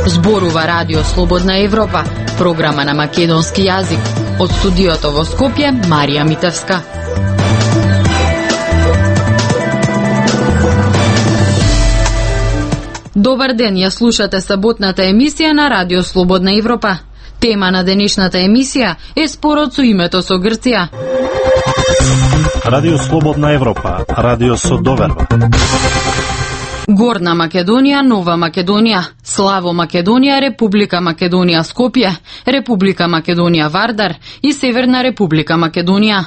Зборува Радио Слободна Европа, програма на македонски јазик. Од студиото во Скопје, Марија Митевска. Добар ден, ја слушате саботната емисија на Радио Слободна Европа. Тема на денешната емисија е спорот со името со Грција. Радио Слободна Европа, радио со доверба. Горна Македонија, Нова Македонија, Славо Македонија, Република Македонија Скопје, Република Македонија Вардар и Северна Република Македонија.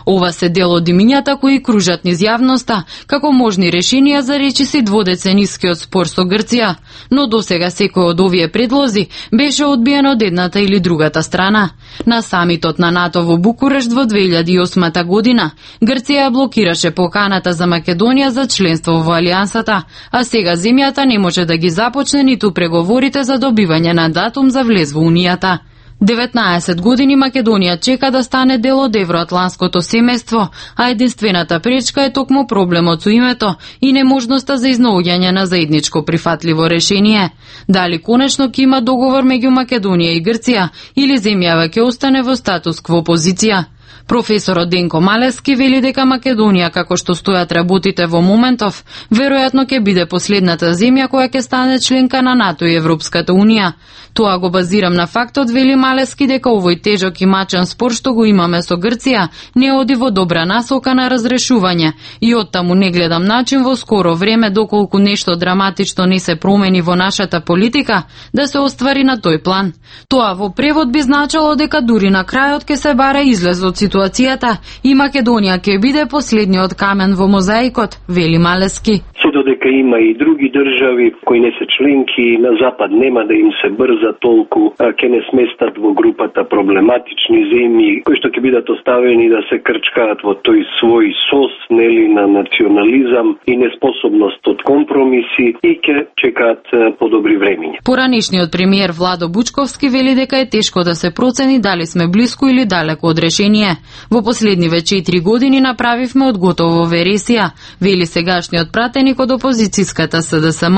Ова се дел од имињата кои кружат низ јавноста како можни решенија за речиси дводеценискиот спор со Грција, но досега секој од овие предлози беше одбиен од едната или другата страна. На самитот на НАТО во Букурешт во 2008 година Грција блокираше поканата за Македонија за членство во Алијансата, а сега земјата не може да ги започне ниту преговорите за добивање на датум за влез во Унијата. 19 години Македонија чека да стане дел од евроатланското семејство, а единствената пречка е токму проблемот со името и неможноста за изнаоѓање на заедничко прифатливо решение. Дали конечно ќе има договор меѓу Македонија и Грција или земјава ќе остане во статус кво позиција? Професорот Денко Малески вели дека Македонија, како што стојат работите во моментов, веројатно ќе биде последната земја која ќе стане членка на НАТО и Европската Унија. Тоа го базирам на фактот, вели Малески, дека овој тежок и мачен спор што го имаме со Грција не оди во добра насока на разрешување и оттаму не гледам начин во скоро време, доколку нешто драматично не се промени во нашата политика, да се оствари на тој план. Тоа во превод би значило дека дури на крајот ќе се баре излез од ситуацијата и Македонија ќе биде последниот камен во мозаикот, вели Малески. Се додека има и други држави кои не се членки на запад, нема да им се брза толку, ќе не сместат во групата проблематични земји кои што ќе бидат оставени да се крчкаат во тој свој сос, нели, на национализам и неспособност од компромиси и ќе чекаат подобри времиња. Поранешниот премиер Владо Бучковски вели дека е тешко да се процени дали сме блиску или далеко од решение. Во последниве 4 години направивме од готово вересија, вели сегашниот пратеник од опозицијската СДСМ.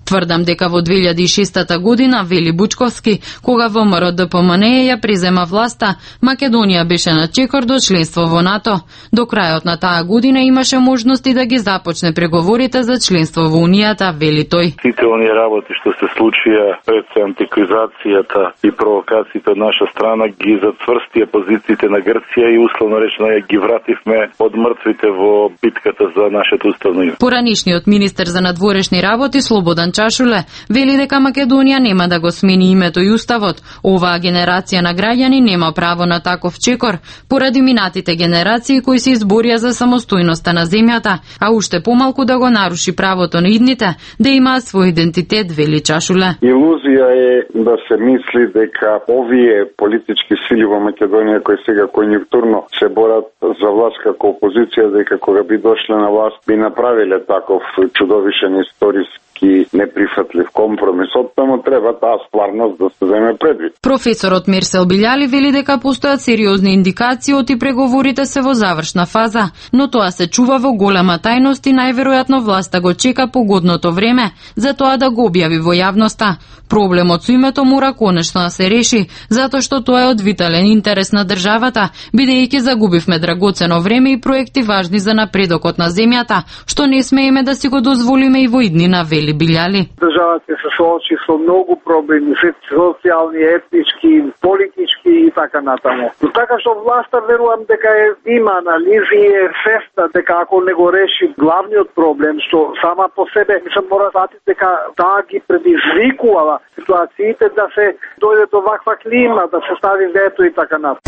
Тврдам дека во 2006 година, вели Бучковски, кога ВМРО ДПМНЕ ја презема власта, Македонија беше на чекор до членство во НАТО. До крајот на таа година имаше можности да ги започне преговорите за членство во Унијата, вели тој. Сите оние работи што се случија пред антикризацијата и провокациите од наша страна ги зацврстија позициите на Грција и условно речено ја ги вративме од мртвите во битката за нашето уставно име. Поранишниот министер за надворешни работи Слободан Чашуле вели дека Македонија нема да го смени името и уставот. Оваа генерација на граѓани нема право на таков чекор поради минатите генерации кои се изборија за самостојноста на земјата, а уште помалку да го наруши правото на идните да имаат свој идентитет, вели Чашуле. Илузија е да се мисли дека овие политички сили во Македонија кои сега конјунктурно се борат за власт како опозиција, дека кога би дошле на власт би направиле таков чудовишен историски неприфатлив компромис. Оттаму треба таа стварност да се земе предвид. Професорот Мерсел Билјали вели дека постојат сериозни индикации оти преговорите се во завршна фаза, но тоа се чува во голема тајност и најверојатно власта го чека погодното време за тоа да го објави во јавноста. Проблемот со името мора конечно да се реши, затоа што тоа е од витален интерес на државата, бидејќи загубивме драгоцено време и проекти важни за напредокот на земјата, што не смееме да си го дозволиме и во иднина, вели Билјали. Државата се соочи со многу проблеми, социјални, етнички, политички и така натаму. Но така што власта верувам дека има анализи и е свесна дека ако не го реши главниот проблем, што сама по себе се мора фати дека таа ги предизвикува ситуациите да се дојде до ваква клима, да се стави вето и така натаму.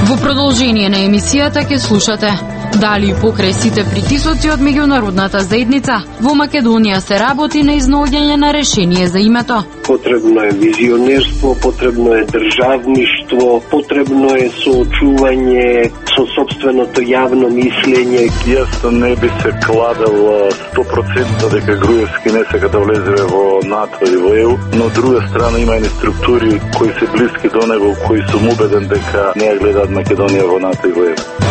Во продолжение на емисијата ќе слушате: Дали покрај сите притисоци од меѓународната заедница, во Македонија се работи на изнаоѓање на решение за името. Потребно е визионерство, потребно е државништво, потребно е соочување со сопственото јавно мислење. Јас не би се кладел 100% дека Груевски не сека да влезе во НАТО и во ЕУ, но од друга страна има и структури кои се блиски до него, кои сум убеден дека не ја гледаат Македонија во НАТО и во ЕУ.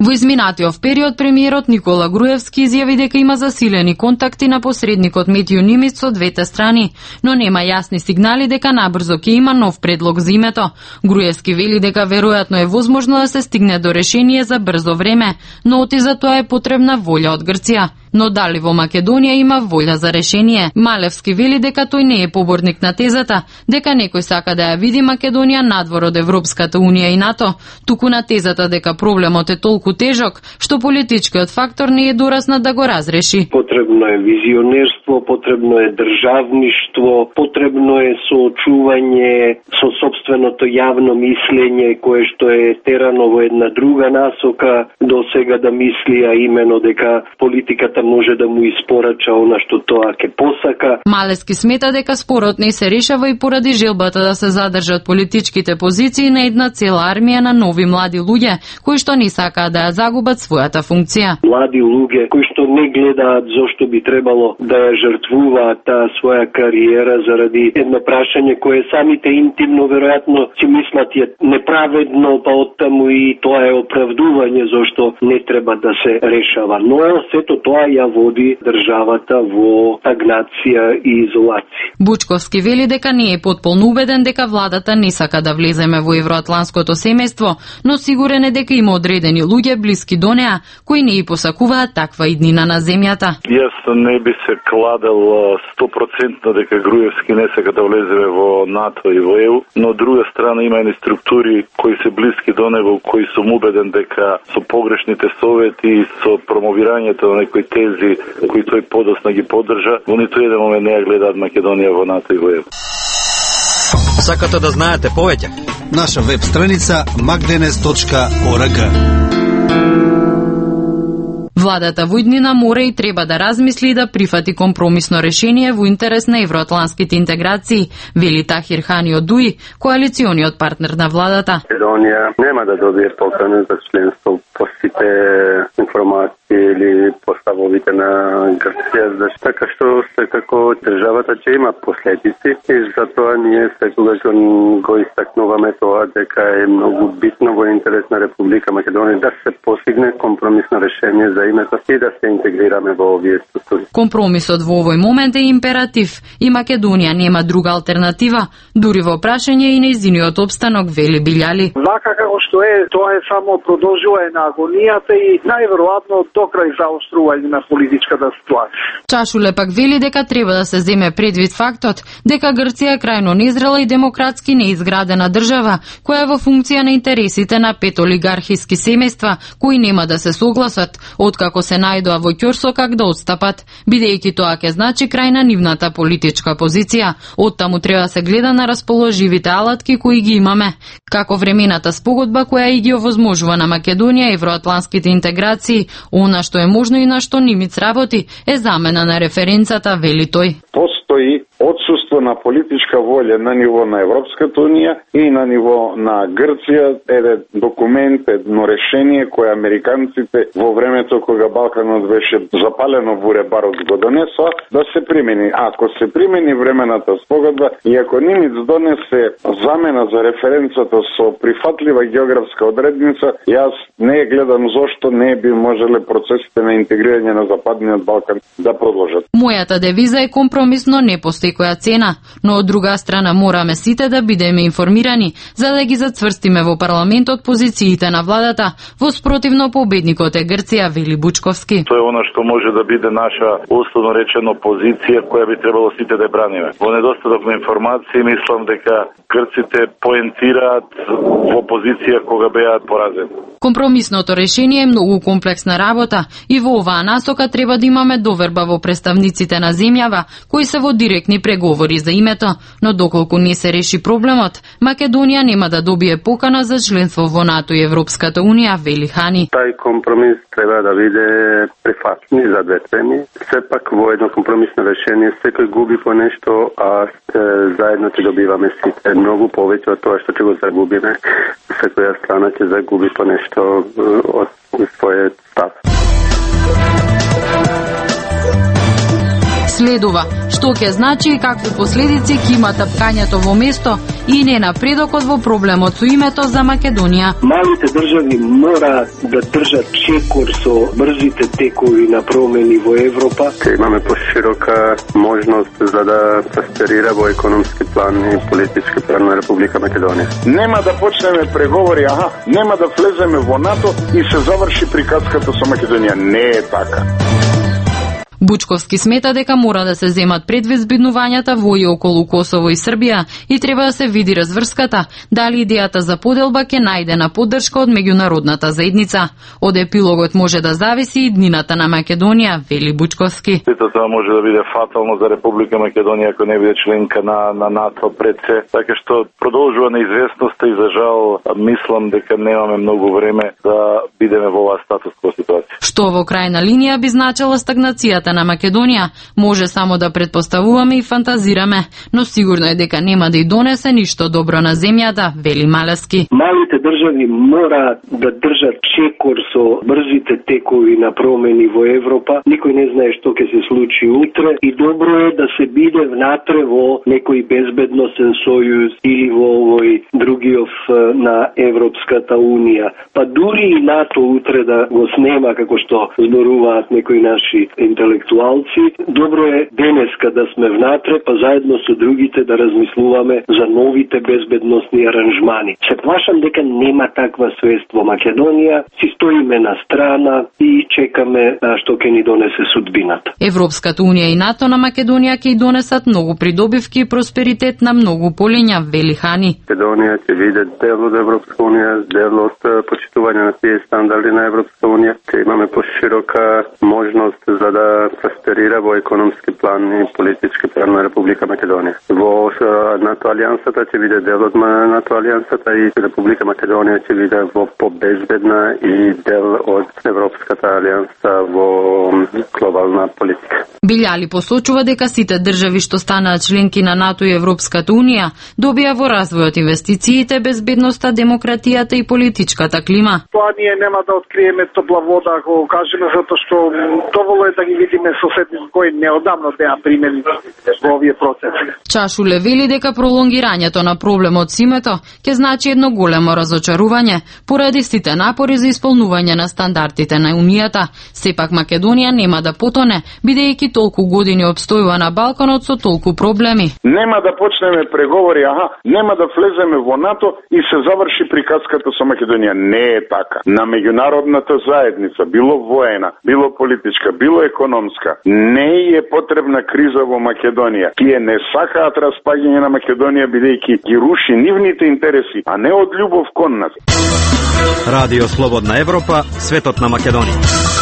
Во изминатиот период премиерот Никола Груевски изјави дека има засилени контакти на посредникот Метју Нимиц со двете страни, но нема јасни сигнали дека набрзо ќе има нов предлог за името. Груевски вели дека веројатно е возможно да се стигне до решение за брзо време, но оти за тоа е потребна волја од Грција. Но дали во Македонија има волја за решение? Малевски вели дека тој не е поборник на тезата, дека некој сака да ја види Македонија надвор од Европската Унија и НАТО, туку на тезата дека проблемот е толку тежок, што политичкиот фактор не е дораснат да го разреши. Потребно е визионерство, потребно е државништво, потребно е соочување со сопственото јавно мислење кое што е терано во една друга насока до сега да мисли, а имено дека политиката може да му испорача она што тоа ќе посака. Малевски смета дека спорот не се решава и поради желбата да се задржат политичките позиции на една цела армија на нови млади луѓе, кои што не сакаат да ја загубат својата функција. Млади луѓе кои што не гледаат зошто би требало да ја жртвуваат таа своја кариера заради едно прашање кое самите интимно веројатно си мислат е неправедно, па оттаму и тоа е оправдување зошто не треба да се решава. Но сето тоа ја води државата во стагнација и изолација. Бучковски вели дека не е потполно убеден дека владата не сака да влеземе во евроатланското семејство, но сигурен е дека има одредени луѓе блиски до неа кои не и посакуваат таква иднина на земјата. Јас не би се кладел 100% дека Груевски не сака да влезе во НАТО и во ЕУ, но од друга страна има и структури кои се блиски до него, кои сум убеден дека со погрешните совети и со промовирањето на некои тези кои тој подоцна ги поддржа, во ниту еден момент не ја гледаат Македонија во НАТО и во ЕУ. Сакате да знаете повеќе? Наша веб страница magdenes.org. Владата во иднина мора и треба да размисли и да прифати компромисно решение во интерес на евроатланските интеграции, вели Тахир Хани од ДУИ, коалициониот партнер на владата. Македонија нема да добие покана за членство по сите информации или поставовите на Грција, така што секако државата ќе има последици и затоа ние секогаш го истакнуваме тоа дека е многу битно во интерес на Република Македонија да се постигне компромисно решение за името и да се интегрираме во овие структури. Компромисот во овој момент е императив и Македонија нема друга алтернатива, дури во прашање и нејзиниот опстанок, вели Билјали. Вака како што е, тоа е само продолжување на агонијата и најверојатно до крај заострување на политичката ситуација. Чашуле пак вели дека треба да се земе предвид фактот дека Грција е крајно незрела и демократски неизградена држава, која е во функција на интересите на 5 олигархиски семејства, кои нема да се согласат, откако се најдоа во ќорсо как да отстапат, бидејќи тоа ќе значи крај на нивната политичка позиција. Оттаму треба да се гледа на расположивите алатки кои ги имаме, како времената спогодба која и ги овозможува на Македонија евроатланските интеграции. Она што е можно и на што Нимиц работи е замена на референцата, вели тој. Постои отсуство на политичка волја на ниво на Европската Унија и на ниво на Грција, еден документ, едно решение кое американците во времето кога Балканот беше запалено во ребарот го донесоа да се примени. Ако се примени времената спогодба и ако Нимиц донесе замена за референцата со прифатлива географска одредница, јас не гледам зошто не би можеле процесите на интегрирање на Западниот Балкан да продолжат. Мојата девиза е компромисно, не постои која цена, но од друга страна мораме сите да бидеме информирани за да ги зацврстиме во парламентот позициите на владата, во спротивно победникот е Грција, вели Бучковски. Тоа е она што може да биде наша условно речено позиција која би требало сите да браниме. Во недостаток на информации мислам дека грците поентираат во позиција кога беаат поразени. Компромисното решение е многу комплексна работа и во оваа насока треба да имаме доверба во представниците на земјава кои се во директни прistапни преговори за името, но доколку не се реши проблемот, Македонија нема да добие покана за членство во НАТО и Европската унија, вели Хани. Тај компромис треба да биде прифатлив за две страни. Сепак во едно компромисно решение секој губи по нешто, а заедно ќе добиваме сите многу повеќе од тоа што ќе го загубиме. Секоја страна ќе загуби по нешто од својот став. Следува, што ќе значи и какви последици ќе има тапкањето во место и не напредокот во проблемот со името за Македонија. Малите држави мора да држат чекор со брзите текови на промени во Европа. Ќе имаме поширока можност за да просперира во економски план и политички план на Република Македонија. Нема да почнеме преговори, нема да влеземе во НАТО и се заврши приказката со Македонија. Не е така. Бучковски смета дека мора да се земат предвид збиднувањата во и околу Косово и Србија и треба да се види разврската, дали идејата за поделба ќе најде на поддршка од меѓународната заедница. Од епилогот може да зависи и днината на Македонија, вели Бучковски. Тоа може да биде фатално за Република Македонија ако не биде членка на НАТО пред се, така што продолжува неизвестноста и за жал мислам дека немаме многу време да бидеме во оваа статуска ситуација. Што во крајна линија би значила стагнацијата на Македонија, може само да предпоставуваме и фантазираме, но сигурно е дека нема да и донесе ништо добро на земјата, вели Малески. Малите држави мора да држат чекор со брзите текови на промени во Европа. Никој не знае што ќе се случи утре и добро е да се биде внатре во некој безбедносен сојуз или во овој другиот на Европската унија. Па дури и НАТО утре да го снема како што зборуваат некои наши интелектуалци, добро е денеска да сме внатре, па заедно со другите да размислуваме за новите безбедносни аранжмани. Се плашам дека нема таква свест во Македонија, си стоиме на страна и чекаме што ќе ни донесе судбината. Европската унија и НАТО на Македонија ќе и донесат многу придобивки и просперитет на многу полиња, вели Хани. Македонија ќе биде дел од Европска унија, дел од почитување на тие стандарди на Европска унија. Ќе имаме поширока можност за да просперира во економски план и политички план на Република Македонија. Во НАТО алијансата ќе биде дел од НАТО алијансата и Република Македонија ќе биде во побезбедна и дел од Европската алијанса во глобална политика. Билјали посочува дека сите држави што станаат членки на НАТО и Европската унија добија во развојот инвестициите, безбедноста, демократијата и политичката клима. Тоа ние нема да откриеме топла вода ако го кажеме, затоа што доволно е да ги видиме соседите кои неодамно беа примени во овие процеси. Чашуле вели дека пролонгирањето на проблемот со името ќе значи едно големо разочарување поради сите напори за исполнување на стандардите на Унијата. Сепак Македонија нема да потоне, бидејќи толку години обстојува на балканот со толку проблеми. Нема да почнеме преговори, нема да влеземе во НАТО и се заврши приказката со Македонија. Не е така. На меѓународната заедница, било воена, било политичка, било економска, не е потребна криза во Македонија. Тие не сакаат распаѓање на Македонија бидејќи ги руши нивните интереси, а не од љубов кон нас. Радио Слободна Европа, светот на Македонија.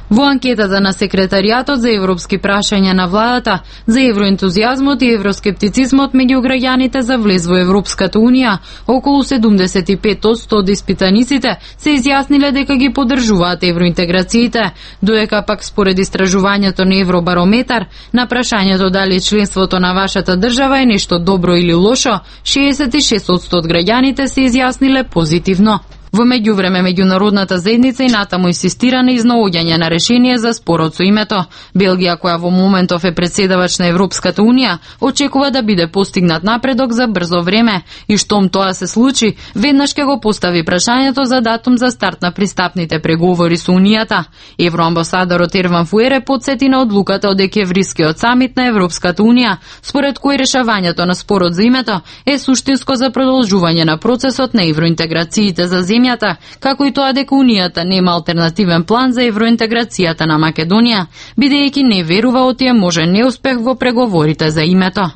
Во анкетата на Секретаријатот за европски прашања на владата за евроентузијазмот и евроскептицизмот меѓу граѓаните за влез во Европската унија, околу 75% од испитаниците се изјасниле дека ги поддржуваат евроинтеграциите, додека пак според истражувањето на Евробарометар на прашањето дали членството на вашата држава е нешто добро или лошо, 66% од граѓаните се изјасниле позитивно. Во меѓувреме, меѓународната заедница и натаму инсистира на изнаоѓање на решение за спорот со името. Белгија, која во моментов е председавач на Европската унија, очекува да биде постигнат напредок за брзо време и штом тоа се случи, веднаш ќе го постави прашањето за датум за старт на пристапните преговори со Унијата. Евроамбасадорот Ерван Фуере потсети на одлуката од декемврискиот самит на Европската унија, според кој решавањето на спорот за името е суштинско за продолжување на процесот на евроинтеграциите за земјата, како и тоа дека Унијата нема алтернативен план за евроинтеграцијата на Македонија, бидејќи не верува од тие можен неуспех во преговорите за името.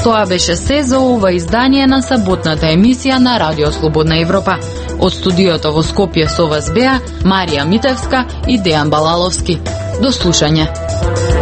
Тоа беше се за ова издание на саботната емисија на Радио Слободна Европа. Од студиото во Скопје со вас беа Марија Митевска и Дејан Балаловски. До слушање.